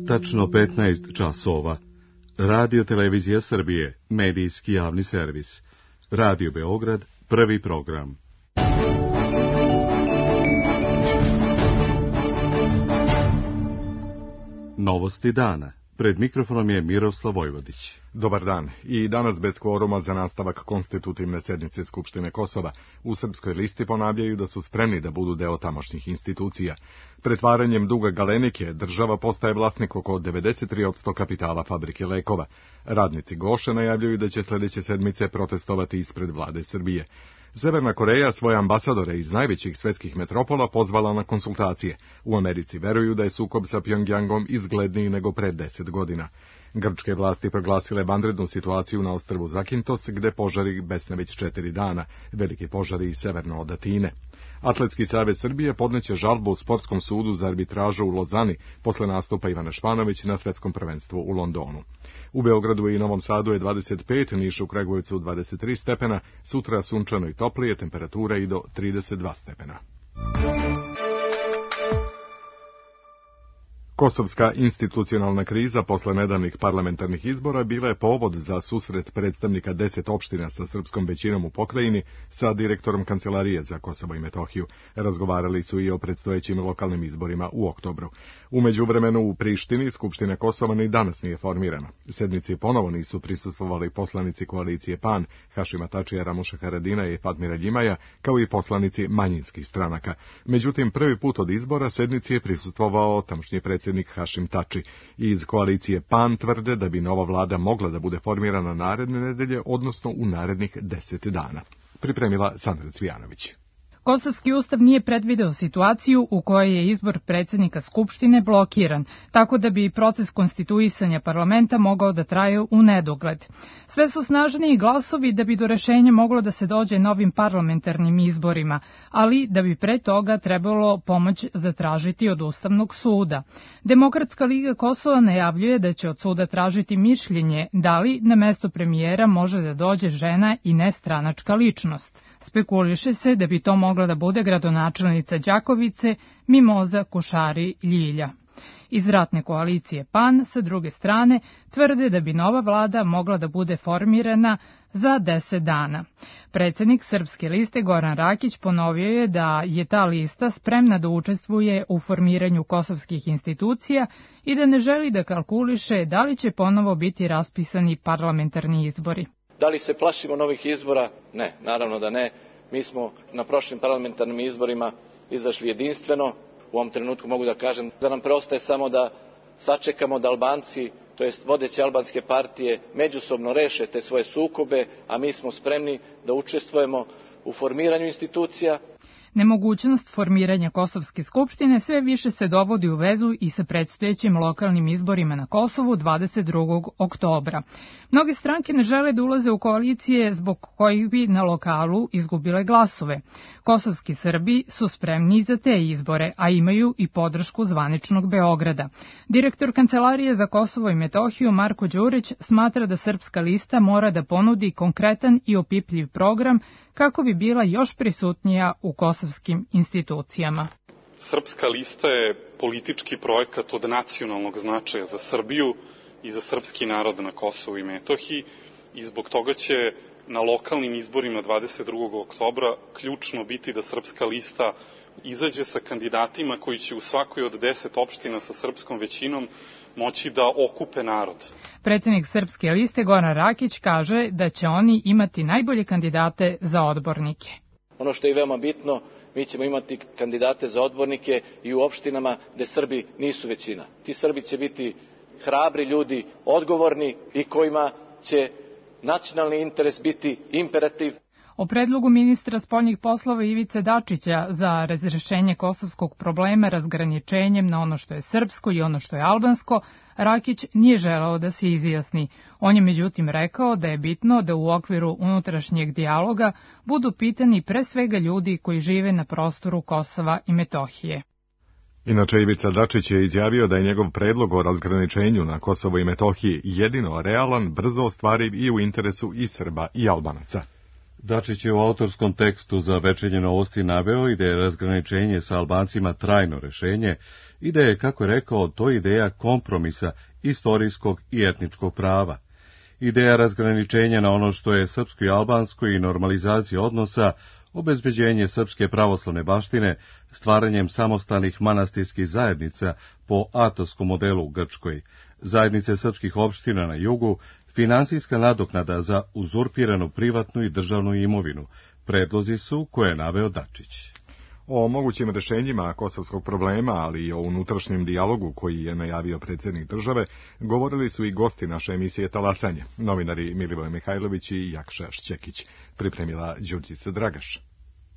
Tačno 15 časova. Radio Televizija Srbije, medijski javni servis. Radio Beograd, prvi program. Novosti dana. Pred mikrofonom je Miroslav Vojvodić. Dobar dan. I danas bez kvoruma za nastavak konstitutivne sednice Skupštine Kosova. U Srpskoj listi ponavljaju da su spremni da budu deo tamošnjih institucija. Pretvaranjem duga Galenike država postaje vlasnik oko 93% kapitala fabrike lekova. Radnici Goše najavljuju da će sljedeće sedmice protestovati ispred vlade Srbije. Severna Koreja svoje ambasadore iz najvećih svetskih metropola pozvala na konsultacije. U Americi veruju da je sukob sa Pjongjangom izgledniji nego pred 10 godina. Grčke vlasti proglasile vanrednu situaciju na ostrvu Zakintos, gde požari besne već 4 dana, veliki požari i severno od Atine. Atletski savez Srbije podneće žalbu u Sportskom sudu za arbitražu u Lozani posle nastupa Ivana Španović na svetskom prvenstvu u Londonu. U Beogradu i Novom Sadu je 25, Nišu, Kragujevcu 23 stepena, sutra sunčano i toplije, temperatura i do 32 stepena. Kosovska institucionalna kriza posle nedavnih parlamentarnih izbora bila je povod za susret predstavnika 10 opština sa srpskom većinom u pokrajini sa direktorom Kancelarije za Kosovo i Metohiju. Razgovarali su i o predstojećim lokalnim izborima u oktobru. U međuvremenu u Prištini Skupština Kosova ni danas nije formirana. Sednici ponovo nisu prisustvovali poslanici koalicije PAN, Hašima Tačija, Ramuša Haradina i Fatmira Ljimaja, kao i poslanici manjinskih stranaka. Međutim, prvi put od izbora sednici je prisustvovao tamošnji predsjednik Hašim Tači. Iz koalicije PAN tvrde da bi nova vlada mogla da bude formirana naredne nedelje, odnosno u narednih 10 dana. Pripremila Sandra Cvijanović. Kosovski ustav nije predvideo situaciju u kojoj je izbor predsjednika Skupštine blokiran, tako da bi proces konstituisanja parlamenta mogao da traje u nedogled. Sve su snažniji glasovi da bi do rešenja moglo da se dođe novim parlamentarnim izborima, ali da bi pre toga trebalo pomoć zatražiti od Ustavnog suda. Demokratska liga Kosova najavljuje da će od suda tražiti mišljenje da li na mesto premijera može da dođe žena i nestranačka ličnost. Spekuliše se da bi to mogla da bude gradonačelnica Đakovice Mimoza Kušari Ljilja. Iz ratne koalicije PAN, sa druge strane, tvrde da bi nova vlada mogla da bude formirana za 10 dana. Predsjednik Srpske liste Goran Rakić ponovio je da je ta lista spremna da učestvuje u formiranju kosovskih institucija i da ne želi da kalkuliše da li će ponovo biti raspisani parlamentarni izbori. Da li se plašimo novih izbora? Ne, naravno da ne. Mi smo na prošlim parlamentarnim izborima izašli jedinstveno. U ovom trenutku mogu da kažem da nam preostaje samo da sačekamo da Albanci, to jest vodeće albanske partije, međusobno reše te svoje sukobe, a mi smo spremni da učestvujemo u formiranju institucija. Nemogućnost formiranja Kosovske skupštine sve više se dovodi u vezu i sa predstojećim lokalnim izborima na Kosovu 22. oktobra. Mnoge stranke ne žele da ulaze u koalicije zbog kojih bi na lokalu izgubile glasove. Kosovski Srbi su spremni za te izbore, a imaju i podršku zvaničnog Beograda. Direktor Kancelarije za Kosovo i Metohiju Marko Đurić smatra da Srpska lista mora da ponudi konkretan i opipljiv program kako bi bila još prisutnija u kosovskim institucijama. Srpska lista je politički projekat od nacionalnog značaja za Srbiju i za srpski narod na Kosovu i Metohiji i zbog toga će na lokalnim izborima 22. oktobra ključno biti da Srpska lista izađe sa kandidatima koji će u svakoj od 10 opština sa srpskom većinom moći da okupe narod. Predsjednik Srpske liste Goran Rakić kaže da će oni imati najbolje kandidate za odbornike. Ono što je veoma bitno, mi ćemo imati kandidate za odbornike i u opštinama gde Srbi nisu većina. Ti Srbi će biti hrabri ljudi, odgovorni i kojima će nacionalni interes biti imperativ. O predlogu ministra spoljnih poslova Ivice Dačića za razrešenje kosovskog problema razgraničenjem na ono što je srpsko i ono što je albansko, Rakić nije želeo da se izjasni. On je međutim rekao da je bitno da u okviru unutrašnjeg dijaloga budu pitani pre svega ljudi koji žive na prostoru Kosova i Metohije. Inače, Ivica Dačić je izjavio da je njegov predlog o razgraničenju na Kosovo i Metohiji jedino realan, brzo ostvariv i u interesu i Srba i Albanaca. Dačić je u autorskom tekstu za Večernje novosti naveo i da je razgraničenje sa Albancima trajno rešenje i da je, kako je rekao, to ideja kompromisa istorijskog i etničkog prava. Ideja razgraničenja na ono što je srpsko i albansko i normalizacija odnosa, obezbeđenje srpske pravoslavne baštine, stvaranjem samostalnih manastirskih zajednica po atoskom modelu u Grčkoj, zajednice srpskih opština na jugu, finansijska nadoknada za uzurpiranu privatnu i državnu imovinu, predlozi su koje je naveo Dačić. O mogućim rešenjima kosovskog problema, ali i o unutrašnjem dijalogu koji je najavio predsjednik države, govorili su i gosti naše emisije Talasanje, novinari Milivoj Mihajlović i Jakša Šćekić, pripremila Đurđica Dragaš.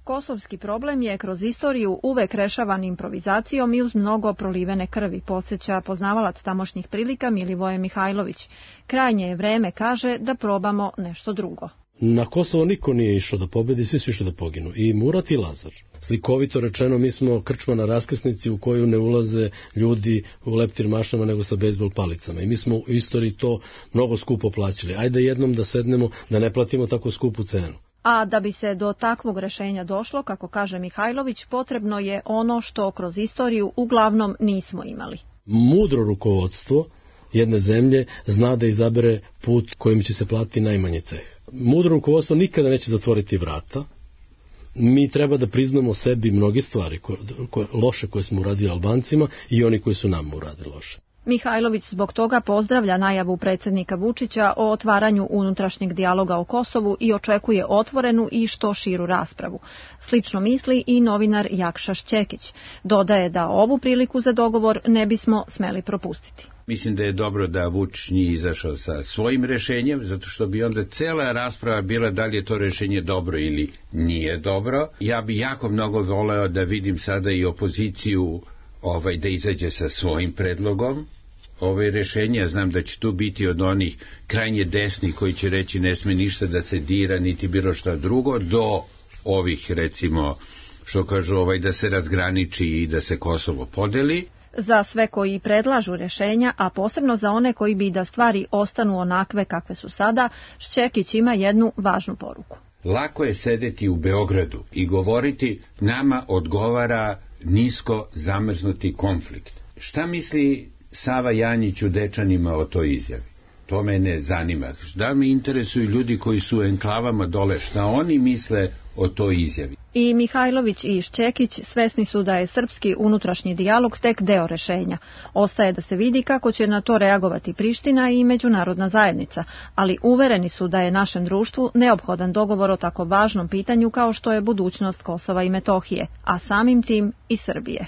Kosovski problem je kroz istoriju uvek rešavan improvizacijom i uz mnogo prolivene krvi, podsjeća poznavalac tamošnjih prilika Milivoje Mihajlović. Krajnje je vreme, kaže, da probamo nešto drugo. Na Kosovo niko nije išao da pobedi, svi su išli da poginu. I Murat i Lazar. Slikovito rečeno, mi smo krčma na raskrsnici u koju ne ulaze ljudi u leptir mašnama nego sa bejzbol palicama. I mi smo u istoriji to mnogo skupo plaćali. Ajde jednom da sednemo, da ne platimo tako skupu cenu. A da bi se do takvog rešenja došlo, kako kaže Mihajlović, potrebno je ono što kroz istoriju uglavnom nismo imali. Mudro rukovodstvo jedne zemlje zna da izabere put kojim će se platiti najmanji ceh. Mudro rukovodstvo nikada neće zatvoriti vrata. Mi treba da priznamo sebi mnoge stvari loše koje smo uradili Albancima i oni koji su nam uradili loše. Mihajlović zbog toga pozdravlja najavu predsjednika Vučića o otvaranju unutrašnjeg dijaloga o Kosovu i očekuje otvorenu i što širu raspravu. Slično misli i novinar Jakša Šćekić. Dodaje da ovu priliku za dogovor ne bismo smeli propustiti. Mislim da je dobro da Vučić nije izašao sa svojim rešenjem, zato što bi onda cela rasprava bila da li je to rešenje dobro ili nije dobro. Ja bi jako mnogo voleo da vidim sada i opoziciju da izađe sa svojim predlogom. Rešenja, znam da će tu biti od onih krajnje desnih koji će reći ne sme ništa da se dira, niti bilo šta drugo, do ovih, recimo, što kažu da se razgraniči i da se Kosovo podeli. Za sve koji predlažu rešenja, a posebno za one koji bi da stvari ostanu onakve kakve su sada, Šćekić ima jednu važnu poruku. Lako je sedeti u Beogradu i govoriti nama odgovara nisko zamrznuti konflikt. Šta misli Sava Janjić u Dečanima o toj izjavi? To mene zanima. Da me interesuju ljudi koji su u enklavama dole, šta oni misle o toj izjavi? I Mihajlović i Šćekić svesni su da je srpski unutrašnji dijalog tek deo rešenja. Ostaje da se vidi kako će na to reagovati Priština i međunarodna zajednica, ali uvereni su da je našem društvu neophodan dogovor o tako važnom pitanju kao što je budućnost Kosova i Metohije, a samim tim i Srbije.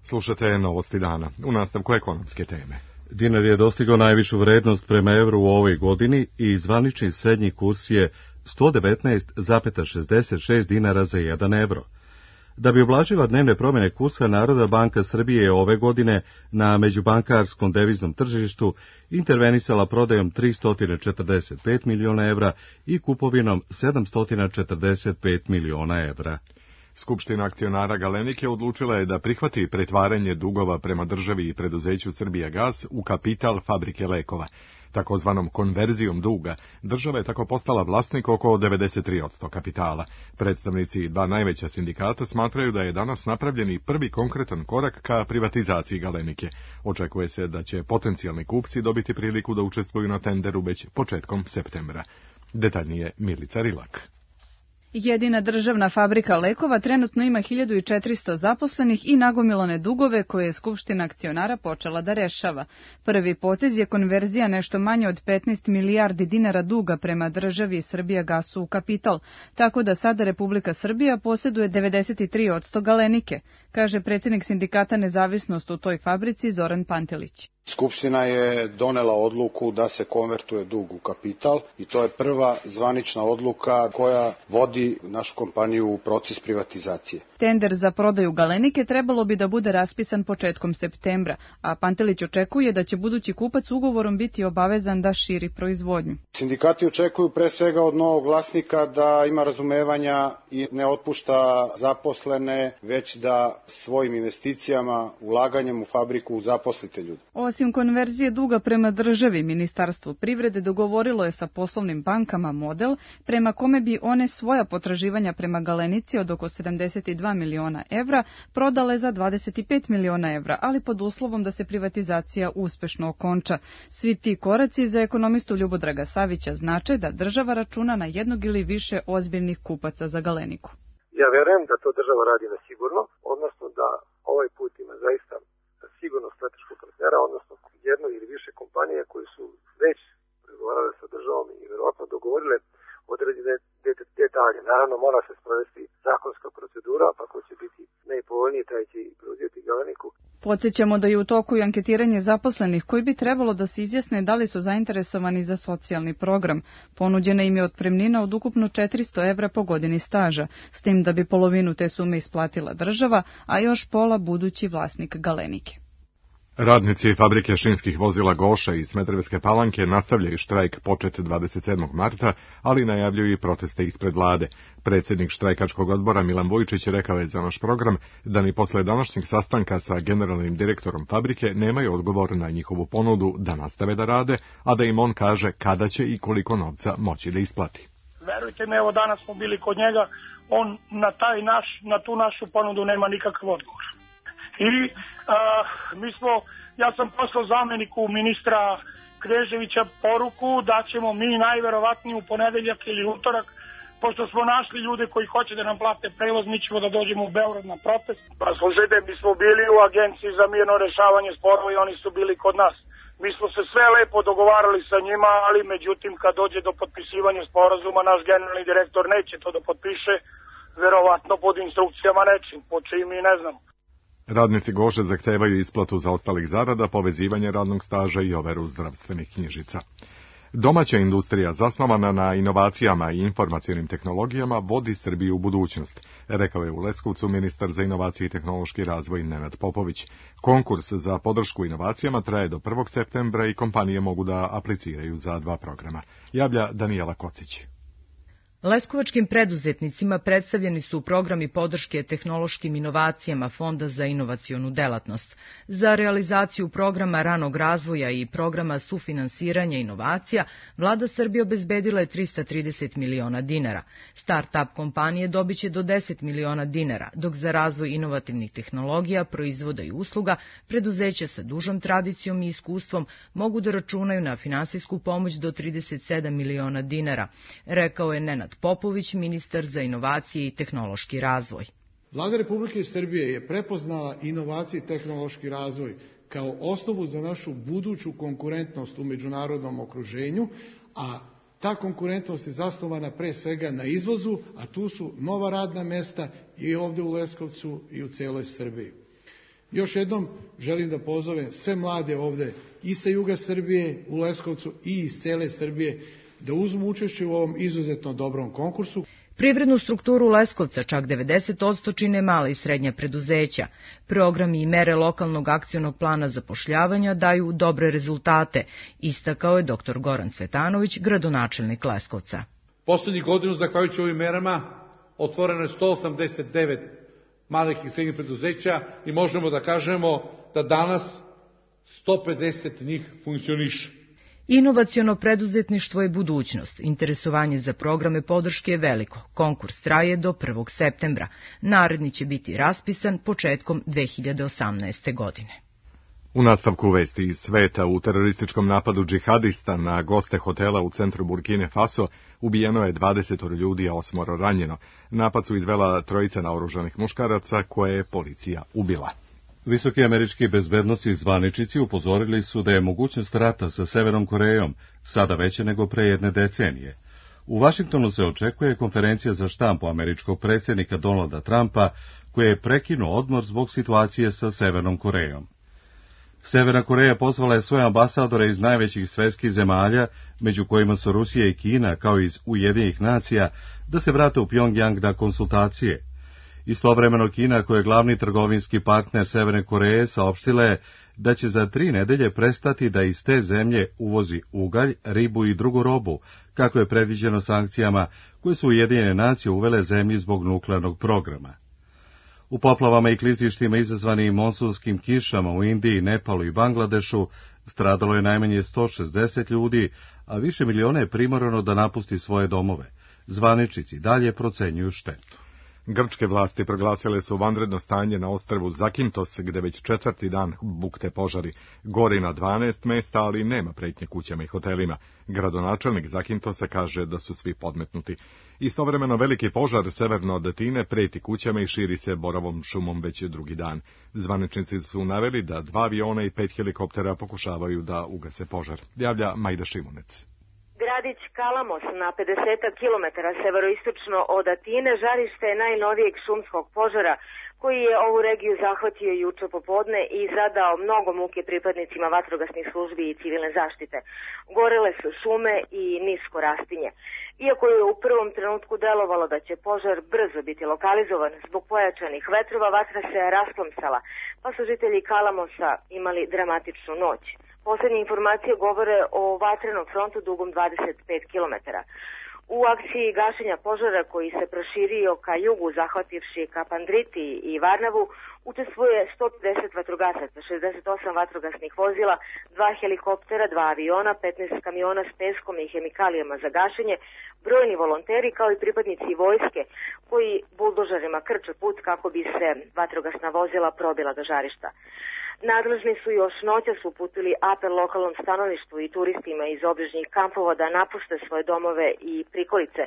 Slušate Novosti dana, u nastavku ekonomske teme. Dinar je dostigao najvišu vrednost prema evru u ovoj godini i zvanični srednji kurs je 119,66 dinara za 1 evro. Da bi ublažila dnevne promjene kursa, Narodna banka Srbije je ove godine na međubankarskom deviznom tržištu intervenisala prodajom 345 miliona evra i kupovinom 745 miliona evra. Skupština akcionara Galenike odlučila je da prihvati pretvaranje dugova prema državi i preduzeću Srbijagas u kapital fabrike lekova. Takozvanom konverzijom duga, država je tako postala vlasnik oko 93% kapitala. Predstavnici dva najveća sindikata smatraju da je danas napravljeni prvi konkretan korak ka privatizaciji Galenike. Očekuje se da će potencijalni kupci dobiti priliku da učestvuju na tenderu već početkom septembra. Detaljnije Milica Rilak. Jedina državna fabrika lekova trenutno ima 1400 zaposlenih i nagomilane dugove koje je Skupština akcionara počela da rešava. Prvi potez je konverzija nešto manje od 15 milijardi dinara duga prema državi Srbijagasu u kapital, tako da sada Republika Srbija posjeduje 93% Galenike, kaže predsjednik sindikata Nezavisnost u toj fabrici Zoran Pantelić. Skupština je donela odluku da se konvertuje dug u kapital i to je prva zvanična odluka koja vodi našu kompaniju u proces privatizacije. Tender za prodaju Galenike trebalo bi da bude raspisan početkom septembra, a Pantelić očekuje da će budući kupac ugovorom biti obavezan da širi proizvodnju. Sindikati očekuju pre svega od novog vlasnika da ima razumevanja i ne otpušta zaposlene, već da svojim investicijama, ulaganjem u fabriku zaposlite ljude. Osim konverzije duga prema državi, Ministarstvo privrede dogovorilo je sa poslovnim bankama model prema kome bi one svoja potraživanja prema Galenici od oko 72 miliona evra prodale za 25 miliona evra, ali pod uslovom da se privatizacija uspešno okonča. Svi ti koraci za ekonomistu Ljubodraga Savića znače da država računa na jednog ili više ozbiljnih kupaca za Galeniku. Ja verujem da to država radi na sigurno, odnosno da ovaj put ima zaista sigurno strateškog partnera, odnosno jedno ili više kompanije koji su već pregovarale sa državom i verovatno dogovorile određene detalje. Naravno, mora se sprovesti zakonska procedura, pa ko će biti najpovoljniji, taj će i preuzeti Galeniku. Podsjećamo da je u toku i anketiranje zaposlenih koji bi trebalo da se izjasne da li su zainteresovani za socijalni program. Ponuđena im je otpremnina od ukupno 400 evra po godini staža, s tim da bi polovinu te sume isplatila država, a još pola budući vlasnik Galenike. Radnici fabrike šinskih vozila Goša iz Smederevske Palanke nastavljaju štrajk počet 27. marta, ali najavljuju i proteste ispred vlade. Predsjednik štrajkačkog odbora Milan Vujčić rekao je za naš program da ni posle današnjeg sastanka sa generalnim direktorom fabrike nemaju odgovor na njihovu ponudu da nastave da rade, a da im on kaže kada će i koliko novca moći da isplati. Verujte mi, evo danas smo bili kod njega, on na tu našu ponudu nema nikakav odgovor. I ja sam poslao zamjeniku ministra Kneževića poruku da ćemo mi najverovatnije u ponedeljak ili utorak, pošto smo našli ljude koji hoće da nam plate prevoz, mi ćemo da dođemo u Beograd na protest. Pa slušajte, mi smo bili u agenciji za mirno rešavanje sporova i oni su bili kod nas. Mi smo se sve lepo dogovarali sa njima, ali međutim kad dođe do potpisivanja sporazuma, naš generalni direktor neće to da potpiše, verovatno pod instrukcijama nečim, po čim i ne znam. Radnici Goše zahtevaju isplatu zaostalih zarada, povezivanje radnog staža i overu zdravstvenih knjižica. Domaća industrija zasnovana na inovacijama i informacionim tehnologijama vodi Srbiju u budućnost, rekao je u Leskovcu ministar za inovacije i tehnološki razvoj Nenad Popović. Konkurs za podršku inovacijama traje do 1. septembra i kompanije mogu da apliciraju za 2 programa. Javlja Danijela Kocić. Leskovačkim preduzetnicima predstavljeni su programi podrške tehnološkim inovacijama Fonda za inovacionu delatnost. Za realizaciju programa ranog razvoja i programa sufinansiranja inovacija, vlada Srbije obezbedila je 330 miliona dinara. Start-up kompanije dobiće do 10 miliona dinara, dok za razvoj inovativnih tehnologija, proizvoda i usluga, preduzeća sa dužom tradicijom i iskustvom mogu da računaju na finansijsku pomoć do 37 miliona dinara, rekao je Nenad Popović, ministar za inovacije i tehnološki razvoj. Vlada Republike Srbije je prepoznala inovacije i tehnološki razvoj kao osnovu za našu buduću konkurentnost u međunarodnom okruženju, a ta konkurentnost je zasnovana pre svega na izvozu, a tu su nova radna mesta i ovde u Leskovcu i u celoj Srbiji. Još jednom želim da pozovem sve mlade ovde i sa juga Srbije u Leskovcu i iz cele Srbije da uzmu učešće u ovom izuzetno dobrom konkursu. Privrednu strukturu Leskovca čak 90% čine mala i srednja preduzeća. Programi i mere lokalnog akcionog plana zapošljavanja daju dobre rezultate, istakao je dr. Goran Cvetanović, gradonačelnik Leskovca. Poslednjih godinu, zahvaljujući ovim merama, otvoreno je 189 malih i srednjih preduzeća i možemo da kažemo da danas 150 njih funkcioniše. Inovaciono preduzetništvo je budućnost. Interesovanje za programe podrške je veliko. Konkurs traje do 1. septembra. Naredni će biti raspisan početkom 2018. godine. U nastavku vesti iz sveta, u terorističkom napadu džihadista na goste hotela u centru Burkine Faso ubijeno je 20 ljudi, a 8 ranjeno. Napad su izvela trojica naoružanih muškaraca koje je policija ubila. Visoki američki bezbednosni zvaničnici upozorili su da je mogućnost rata sa Severnom Korejom sada veća nego pre jedne decenije. U Vašingtonu se očekuje konferencija za štampu američkog predsjednika Donalda Trumpa, koji je prekinuo odmor zbog situacije sa Severnom Korejom. Severna Koreja pozvala je svoje ambasadore iz najvećih svetskih zemalja, među kojima su Rusija i Kina, kao i iz Ujedinjenih nacija, da se vrate u Pjongjang na konsultacije. Istovremeno Kina, koja je glavni trgovinski partner Severne Koreje, saopštila je da će za 3 nedelje prestati da iz te zemlje uvozi ugalj, ribu i drugu robu, kako je predviđeno sankcijama koje su Ujedinjene nacije uvele zemlji zbog nuklearnog programa. U poplavama i klizištima izazvanim monsunskim kišama u Indiji, Nepalu i Bangladešu stradalo je najmanje 160 ljudi, a više miliona je primorano da napusti svoje domove. Zvaničnici dalje procenjuju štetu. Grčke vlasti proglasile su vanredno stanje na ostrvu Zakintos, gde već 4. dan bukte požari. Gori na 12 mesta, ali nema pretnje kućama i hotelima. Gradonačelnik Zakintosa kaže da su svi podmetnuti. Istovremeno veliki požar severno od Atine preti kućama i širi se borovom šumom već drugi dan. Zvaničnici su naveli da 2 aviona i 5 helikoptera pokušavaju da ugase požar. Javlja Majda Šimunec. Gradić Kalamos na 50 km severoistočno od Atine žarište je najnovijeg šumskog požara koji je ovu regiju zahvatio juče popodne i zadao mnogo muke pripadnicima vatrogasnih službi i civilne zaštite. Gorele su šume i nisko rastinje. Iako je u prvom trenutku delovalo da će požar brzo biti lokalizovan zbog pojačanih vetrova, vatra se rasplamsala, pa su žitelji Kalamosa imali dramatičnu noć. Poslednje informacije govore o vatrenom frontu dugom 25 km. U akciji gašenja požara koji se proširio ka jugu, zahvativši Kapandriti i Varnavu, učestvuje 150 vatrogasaca, 68 vatrogasnih vozila, 2 helikoptera, 2 aviona, 15 kamiona s peskom i hemikalijama za gašenje, brojni volonteri kao i pripadnici vojske koji buldožerima krče put kako bi se vatrogasna vozila probila do žarišta. Nadležni su još noćas uputili apel lokalnom stanovništvu i turistima iz obližnjih kampova da napušte svoje domove i prikolice,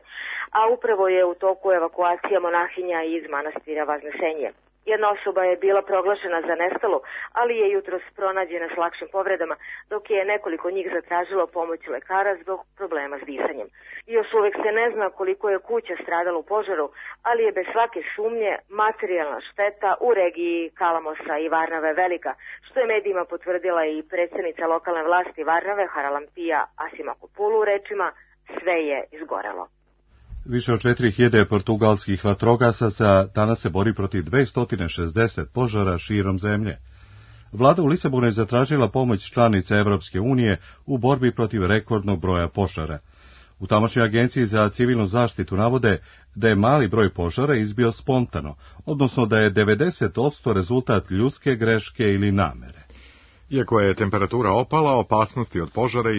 a upravo je u toku evakuacija monahinja iz manastira Vaznesenje. Jedna osoba je bila proglašena za nestalu, ali je jutros pronađena s lakšim povredama, dok je nekoliko njih zatražilo pomoć lekara zbog problema s disanjem. Još uvek se ne zna koliko je kuća stradalo u požaru, ali je bez svake sumnje materijalna šteta u regiji Kalamosa i Varnave velika, što je medijima potvrdila i predsjednica lokalne vlasti Varnave Haralampija Asimakopulu rečima sve je izgorelo. Više od 4000 portugalskih vatrogasaca danas se bori protiv 260 požara širom zemlje. Vlada u Lisabonu je zatražila pomoć članica Evropske unije u borbi protiv rekordnog broja požara. U tamošnjoj agenciji za civilnu zaštitu navode da je mali broj požara izbio spontano, odnosno da je 90% rezultat ljudske greške ili namere. Iako je temperatura opala, opasnosti od požara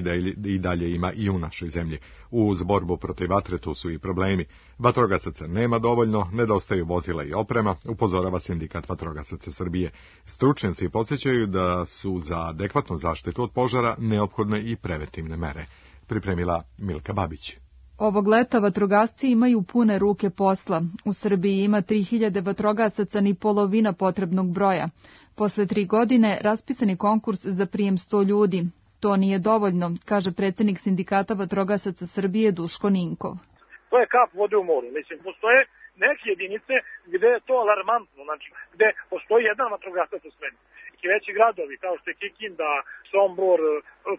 i dalje ima i u našoj zemlji. Uz borbu protiv vatre tu su i problemi. Vatrogasaca nema dovoljno, nedostaju vozila i oprema, upozorava Sindikat vatrogasaca Srbije. Stručnjaci podsjećaju da su za adekvatnu zaštitu od požara neophodne i preventivne mere. Pripremila Milka Babić. Ovog leta vatrogasci imaju pune ruke posla. U Srbiji ima 3000 vatrogasaca, ni polovina potrebnog broja. Posle 3 godine raspisan je konkurs za prijem 100 ljudi. To nije dovoljno, kaže predsjednik Sindikata vatrogasaca Srbije Duško Ninkov. To je kap vode u moru. Mislim, postoje neke jedinice gde je to alarmantno, znači gde postoji jedan vatrogasac u svemu. I veći gradovi kao što je Kikinda, Sombor,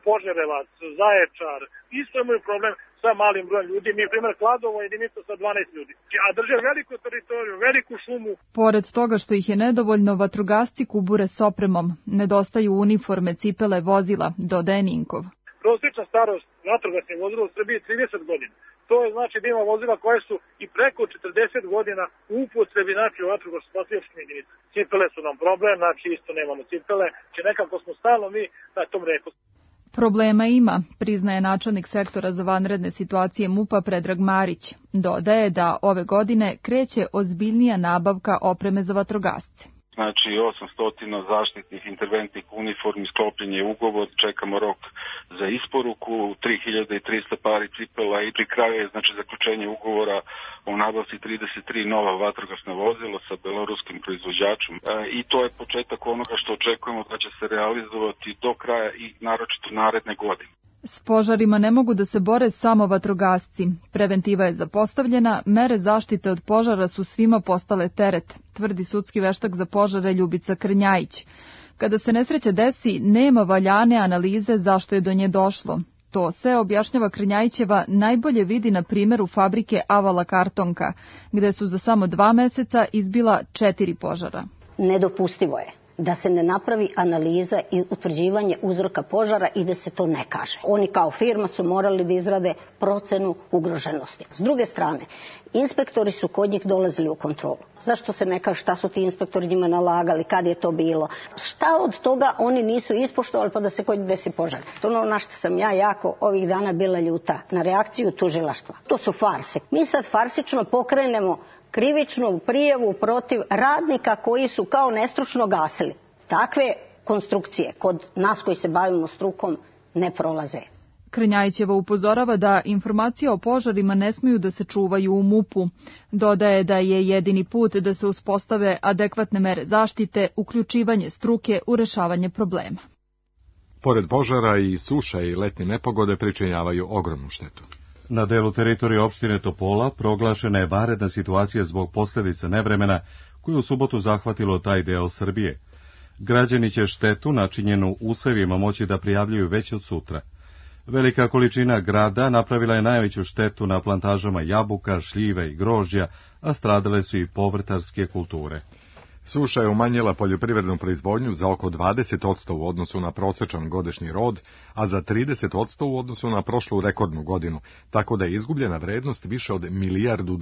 Požarevac, Zaječar, isto imaju problem sa malim brojem ljudi. Mi, primjer, Kladovo je jedinica sa 12 ljudi, a drže veliku teritoriju, veliku šumu. Pored toga što ih je nedovoljno, vatrogasci kubure s opremom. Nedostaju uniforme, cipele, vozila, dodaje Ninkov. Prosječna starost vatrogasnih vozila u Srbiji je 30 godina. To je znači da ima vozila koje su i preko 40 godina u upotrebi, znači u vatrogasno-spasilačkim jedinicama. Cipele su nam problem, znači isto nemamo cipele, znači nekako smo stalno mi na tom reku. Problema ima, priznaje načelnik sektora za vanredne situacije MUP-a Predrag Marić. Dodaje da ove godine kreće ozbiljnija nabavka opreme za vatrogasce. Znači 800 zaštitnih interventnih uniformi, sklopljen je ugovor, čekamo rok za isporuku, 3300 pari cipela i pri kraju je znači zaključenje ugovora o nabavci 33 nova vatrogasna vozila sa beloruskim proizvođačem. I to je početak onoga što očekujemo da će se realizovati do kraja i naročito naredne godine. S požarima ne mogu da se bore samo vatrogasci. Preventiva je zapostavljena, mere zaštite od požara su svima postale teret, tvrdi sudski veštak za požare Ljubica Krnjajić. Kada se nesreća desi, nema valjane analize zašto je do nje došlo. To se, objašnjava Krnjajićeva, najbolje vidi na primjeru fabrike Avala Kartonka, gde su za samo 2 meseca izbila 4 požara. Nedopustivo je da se ne napravi analiza i utvrđivanje uzroka požara i da se to ne kaže. Oni kao firma su morali da izrade procenu ugroženosti. S druge strane, inspektori su kod njih dolazili u kontrolu. Zašto se ne kaže šta su ti inspektori njima nalagali, kad je to bilo? Šta od toga oni nisu ispoštovali pa da se kod njih desi požar? To ono na što sam ja jako ovih dana bila ljuta, na reakciju tužilaštva. To su farse. Mi sad farsično pokrenemo krivičnu prijavu protiv radnika koji su kao nestručno gasili. Takve konstrukcije kod nas koji se bavimo strukom ne prolaze. Krnjajićeva upozorava da informacije o požarima ne smiju da se čuvaju u MUP-u. Dodaje da je jedini put da se uspostave adekvatne mere zaštite uključivanje struke u rešavanje problema. Pored požara i suša i letnje nepogode pričinjavaju ogromnu štetu. Na delu teritorije opštine Topola proglašena je vanredna situacija zbog posljedica nevremena koje u subotu zahvatilo taj deo Srbije. Građani će štetu načinjenu usevima moći da prijavljuju već od sutra. Velika količina grada napravila je najveću štetu na plantažama jabuka, šljive i grožđa, a stradale su i povrtarske kulture. Suša je umanjila poljoprivrednu proizvodnju za oko 20% u odnosu na prosječan godišnji rod, a za 30% u odnosu na prošlu rekordnu godinu, tako da je izgubljena vrednost više od $1 milijardu,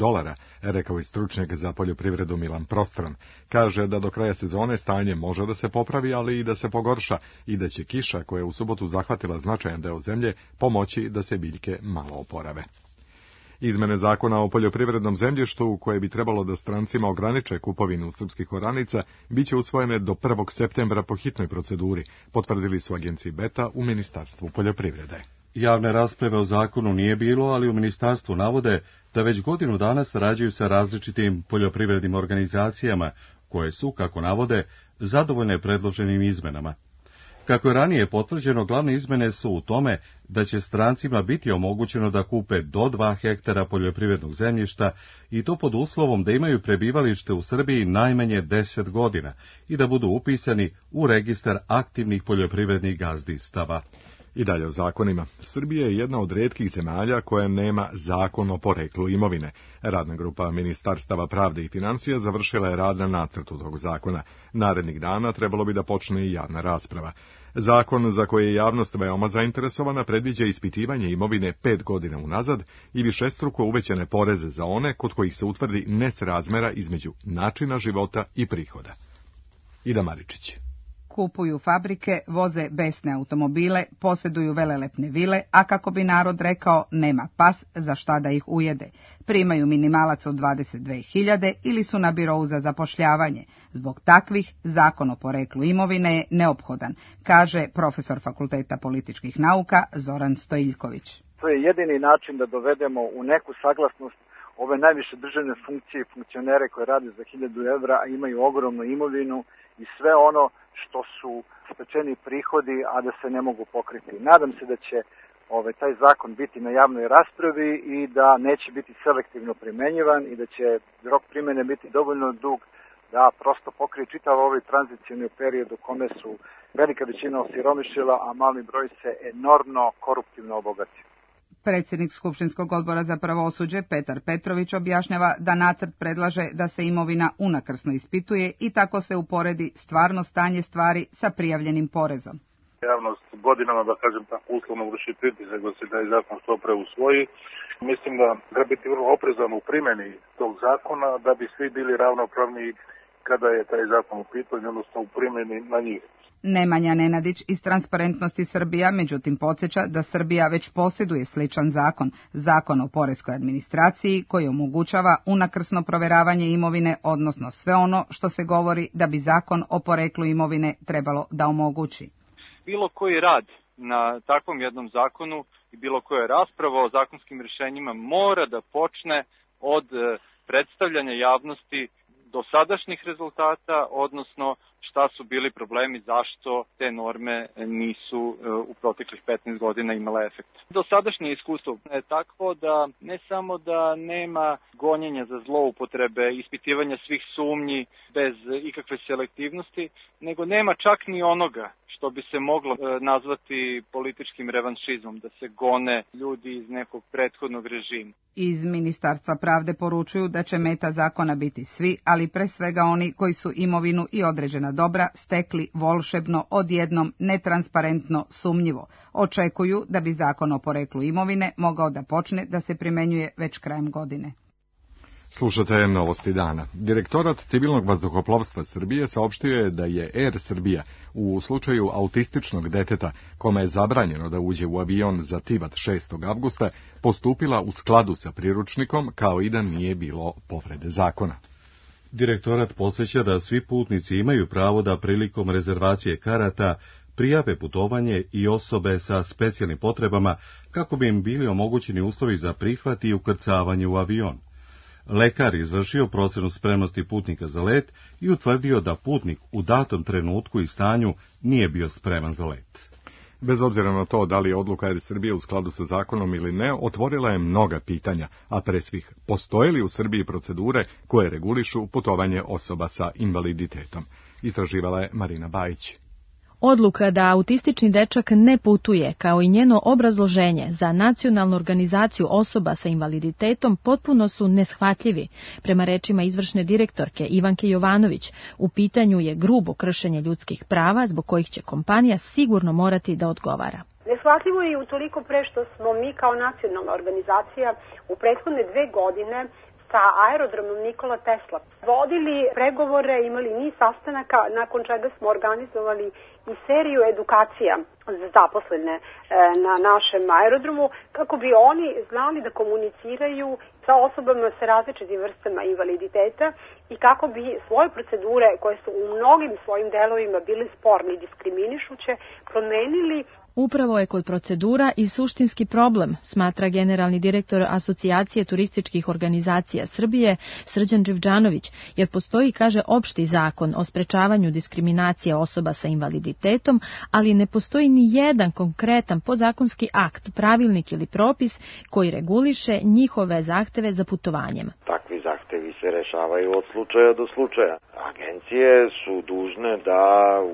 rekao je stručnjak za poljoprivredu Milan Prostran. Kaže da do kraja sezone stanje može da se popravi, ali i da se pogorša i da će kiša, koja je u subotu zahvatila značajan deo zemlje, pomoći da se biljke malo oporave. Izmene zakona o poljoprivrednom zemljištu, koje bi trebalo da strancima ograniče kupovinu srpskih oranica, biće usvojene do 1. septembra po hitnoj proceduri, potvrdili su agenciji Beta u Ministarstvu poljoprivrede. Javne rasprave o zakonu nije bilo, ali u ministarstvu navode da već godinu dana sarađuju sa različitim poljoprivrednim organizacijama, koje su, kako navode, zadovoljne predloženim izmenama. Kako je ranije potvrđeno, glavne izmene su u tome da će strancima biti omogućeno da kupe do 2 hektara poljoprivrednog zemljišta i to pod uslovom da imaju prebivalište u Srbiji najmanje 10 godina i da budu upisani u registar aktivnih poljoprivrednih gazdinstava. I dalje o zakonima. Srbija je jedna od retkih zemalja koja nema zakon o poreklu imovine. Radna grupa Ministarstava pravde i financija završila je rad na nacrtu tog zakona. Narednih dana trebalo bi da počne i javna rasprava. Zakon, za koji je javnost veoma zainteresovana, predviđa ispitivanje imovine 5 godina unazad i višestruko uvećane poreze za one kod kojih se utvrdi nesrazmera između načina života i prihoda. Ida Maričić. Kupuju fabrike, voze besne automobile, posjeduju velelepne vile, a kako bi narod rekao, nema pas za šta da ih ujede. Primaju minimalac od 22.000 ili su na birou za zapošljavanje. Zbog takvih zakon o poreklu imovine je neophodan, kaže profesor Fakulteta političkih nauka Zoran Stojiljković. To je jedini način da dovedemo u neku saglasnost ove najviše državne funkcije i funkcionere koje rade za 1.000 evra, a imaju ogromnu imovinu i sve ono što su stečeni prihodi, a da se ne mogu pokriti. Nadam se da će taj zakon biti na javnoj raspravi i da neće biti selektivno primenjivan i da će rok primjene biti dovoljno dug da prosto pokrije čitav ovaj tranzicijni period u kome su velika većina osiromašila, a mali broj se enormno koruptivno obogatio. Predsjednik Skupštinskog odbora za pravosuđe Petar Petrović objašnjava da nacrt predlaže da se imovina unakrsno ispituje i tako se uporedi stvarno stanje stvari sa prijavljenim porezom. Javnost godinama, da kažem tako uslovno, vrši pritisak da se taj zakon što pre usvoji. Mislim da treba biti vrlo oprezan u primjeni tog zakona da bi svi bili ravnopravni kada je taj zakon u pitanju, odnosno u primjeni na njih. Nemanja Nenadić iz Transparentnosti Srbija, međutim podsjeća da Srbija već posjeduje sličan zakon, zakon o poreskoj administraciji, koji omogućava unakrsno proveravanje imovine, odnosno sve ono što se govori da bi zakon o poreklu imovine trebalo da omogući. Bilo koji rad na takvom jednom zakonu i bilo koja rasprava o zakonskim rješenjima mora da počne od predstavljanja javnosti dosadašnjih rezultata, odnosno šta su bili problemi, zašto te norme nisu u proteklih 15 godina imale efekt. Dosadašnje iskustvo je takvo da ne samo da nema gonjenja za zloupotrebe, ispitivanja svih sumnji bez ikakve selektivnosti, nego nema čak ni onoga što bi se moglo nazvati političkim revanšizmom, da se gone ljudi iz nekog prethodnog režima. Iz Ministarstva pravde poručuju da će meta zakona biti svi, ali pre svega oni koji su imovinu i određena dobra stekli volšebno, odjednom, netransparentno, sumnjivo. Očekuju da bi zakon o poreklu imovine mogao da počne da se primenjuje već krajem godine. Slušate Novosti dana. Direktorat civilnog vazduhoplovstva Srbije saopštio je da je Air Srbija u slučaju autističnog deteta, kome je zabranjeno da uđe u avion za Tivat 6. avgusta, postupila u skladu sa priručnikom kao i da nije bilo povrede zakona. Direktorat podsjeća da svi putnici imaju pravo da prilikom rezervacije karata prijave putovanje i osobe sa specijalnim potrebama kako bi im bili omogućeni uslovi za prihvat i ukrcavanje u avion. Lekar izvršio procenu spremnosti putnika za let i utvrdio da putnik u datom trenutku i stanju nije bio spreman za let. Bez obzira na to da li je odluka Air Srbije u skladu sa zakonom ili ne, otvorila je mnoga pitanja, a pre svih, postoje li u Srbiji procedure koje regulišu putovanje osoba sa invaliditetom? Istraživala je Marina Bajić. Odluka da autistični dečak ne putuje, kao i njeno obrazloženje za nacionalnu organizaciju osoba sa invaliditetom potpuno su neshvatljivi. Prema rečima izvršne direktorke Ivanke Jovanović, u pitanju je grubo kršenje ljudskih prava zbog kojih će kompanija sigurno morati da odgovara. Neshvatljivo je utoliko pre što smo mi kao nacionalna organizacija u prethodne 2 godine sa aerodromom Nikola Tesla vodili pregovore, imali niz sastanaka, nakon čega smo organizovali i seriju edukacija za zaposlene na našem aerodromu, kako bi oni znali da komuniciraju sa osobama sa različitim vrstama invaliditeta i kako bi svoje procedure, koje su u mnogim svojim delovima bile sporne i diskriminišuće, promenili. Upravo je kod procedura i suštinski problem, smatra generalni direktor Asocijacije turističkih organizacija Srbije Srđan Dživđanović, jer postoji, kaže, opšti zakon o sprečavanju diskriminacije osoba sa invaliditetom, ali ne postoji ni jedan konkretan podzakonski akt, pravilnik ili propis koji reguliše njihove zahteve za putovanjem. Takvi zahtevi se rešavaju od slučaja do slučaja. Agencije su dužne da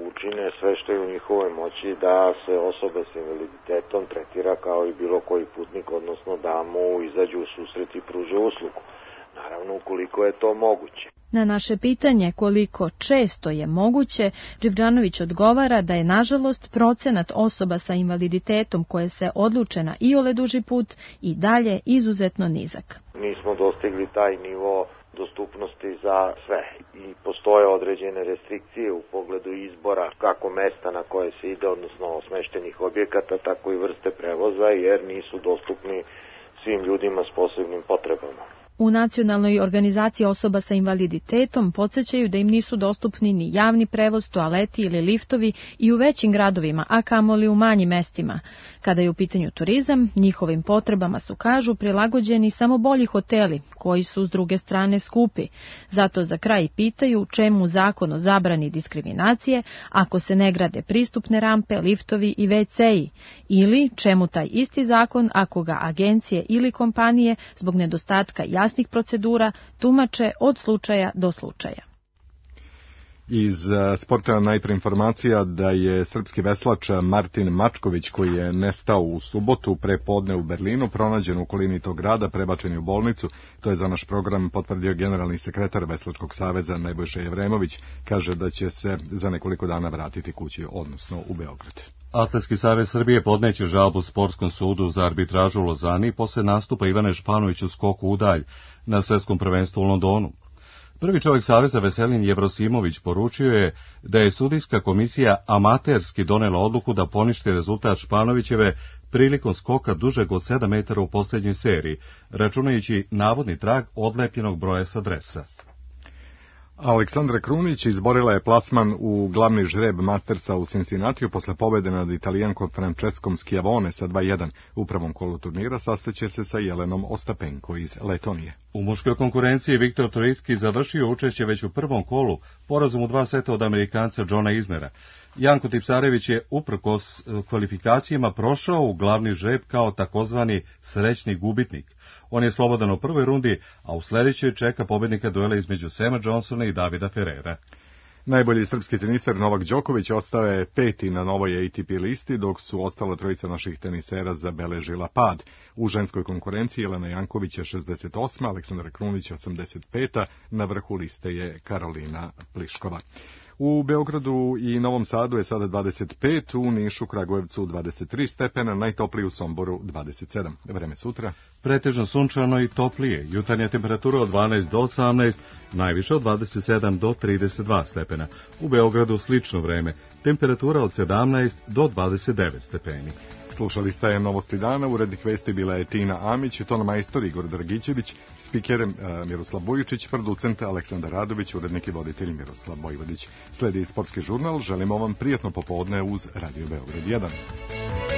učine sve što je u njihovoj moći da se osoba s invaliditetom tretira kao i bilo koji putnik, odnosno da mu izađu u susret i pruže uslugu. Naravno, ukoliko je to moguće. Na naše pitanje koliko često je moguće, Dživđanović odgovara da je nažalost procenat osoba sa invaliditetom koje se odluče na iole duži put i dalje izuzetno nizak. Nismo dostigli taj nivo dostupnosti za sve i postoje određene restrikcije u pogledu izbora kako mesta na koje se ide, odnosno smeštenih objekata, tako i vrste prevoza, jer nisu dostupni svim ljudima s posebnim potrebama. U Nacionalnoj organizaciji osoba sa invaliditetom podsjećaju da im nisu dostupni ni javni prevoz, toaleti ili liftovi i u većim gradovima, a kamoli u manjim mestima. Kada je u pitanju turizam, njihovim potrebama su, kažu, prilagođeni samo bolji hoteli, koji su s druge strane skupi. Zato za kraj pitaju čemu zakon o zabrani diskriminacije ako se ne grade pristupne rampe, liftovi i WC-i, ili čemu taj isti zakon ako ga agencije ili kompanije zbog nedostatka jasnih procedura tumače od slučaja do slučaja. Iz sporta najpre informacija da je srpski veslač Martin Mačković, koji je nestao u subotu prepodne u Berlinu, pronađen u okolini tog grada, prebačen u bolnicu. To je za naš program potvrdio generalni sekretar Veslačkog saveza Nebojša Jevremović. Kaže da će se za nekoliko dana vratiti kući, odnosno u Beograd. Atletski savez Srbije podneće žalbu Sportskom sudu za arbitražu u Lozani posle nastupa Ivane Španović u skoku u dalj na svetskom prvenstvu u Londonu. Prvi čovjek saveza Veselin Jevrosimović poručio je da je sudijska komisija amaterski donela odluku da poništi rezultat Španovićeve prilikom skoka dužeg od 7 metara u posljednjoj seriji, računajući navodni trag odlepljenog broja sa dresa. Aleksandra Krunić izborila je plasman u glavni žreb Mastersa u Cincinnatiju posle pobjede nad Italijankom Franceskom Schiavone sa 2:1. U prvom kolu turnira sastaće se sa Jelenom Ostapenko iz Letonije. U muškoj konkurenciji Viktor Troicki završio učešće već u prvom kolu porazom u 2 seta od Amerikanca Johna Isnera. Janko Tipsarević je uprkos kvalifikacijama prošao u glavni žreb kao takozvani srećni gubitnik. On je slobodan u prvoj rundi, a u sljedećoj čeka pobjednika duela između Sema Johnsona i Davida Ferrera. Najbolji srpski teniser Novak Đoković ostao je 5. na novoj ATP listi, dok su ostala trojica naših tenisera zabeležila pad. U ženskoj konkurenciji Jelena Janković je 68, Aleksandra Krunić 85, na vrhu liste je Karolina Pliškova. U Beogradu i Novom Sadu je sada 25, u Nišu, Kragujevcu 23 stepena, najtopliji u Somboru 27. Vreme sutra. Pretežno sunčano i toplije, jutarnja temperatura od 12 do 18, najviše od 27 do 32 stepena. U Beogradu slično vreme, temperatura od 17 do 29 stepeni. Slušali ste Novosti dana, urednik vesti bila je Tina Amić, ton majstor Igor Dragićević, spiker Miroslav Bujičić, producent Aleksandar Radović, urednik i voditelj Miroslav Bojvodić. Sledi sportski žurnal, želimo vam prijatno popodne uz Radio Beograd 1.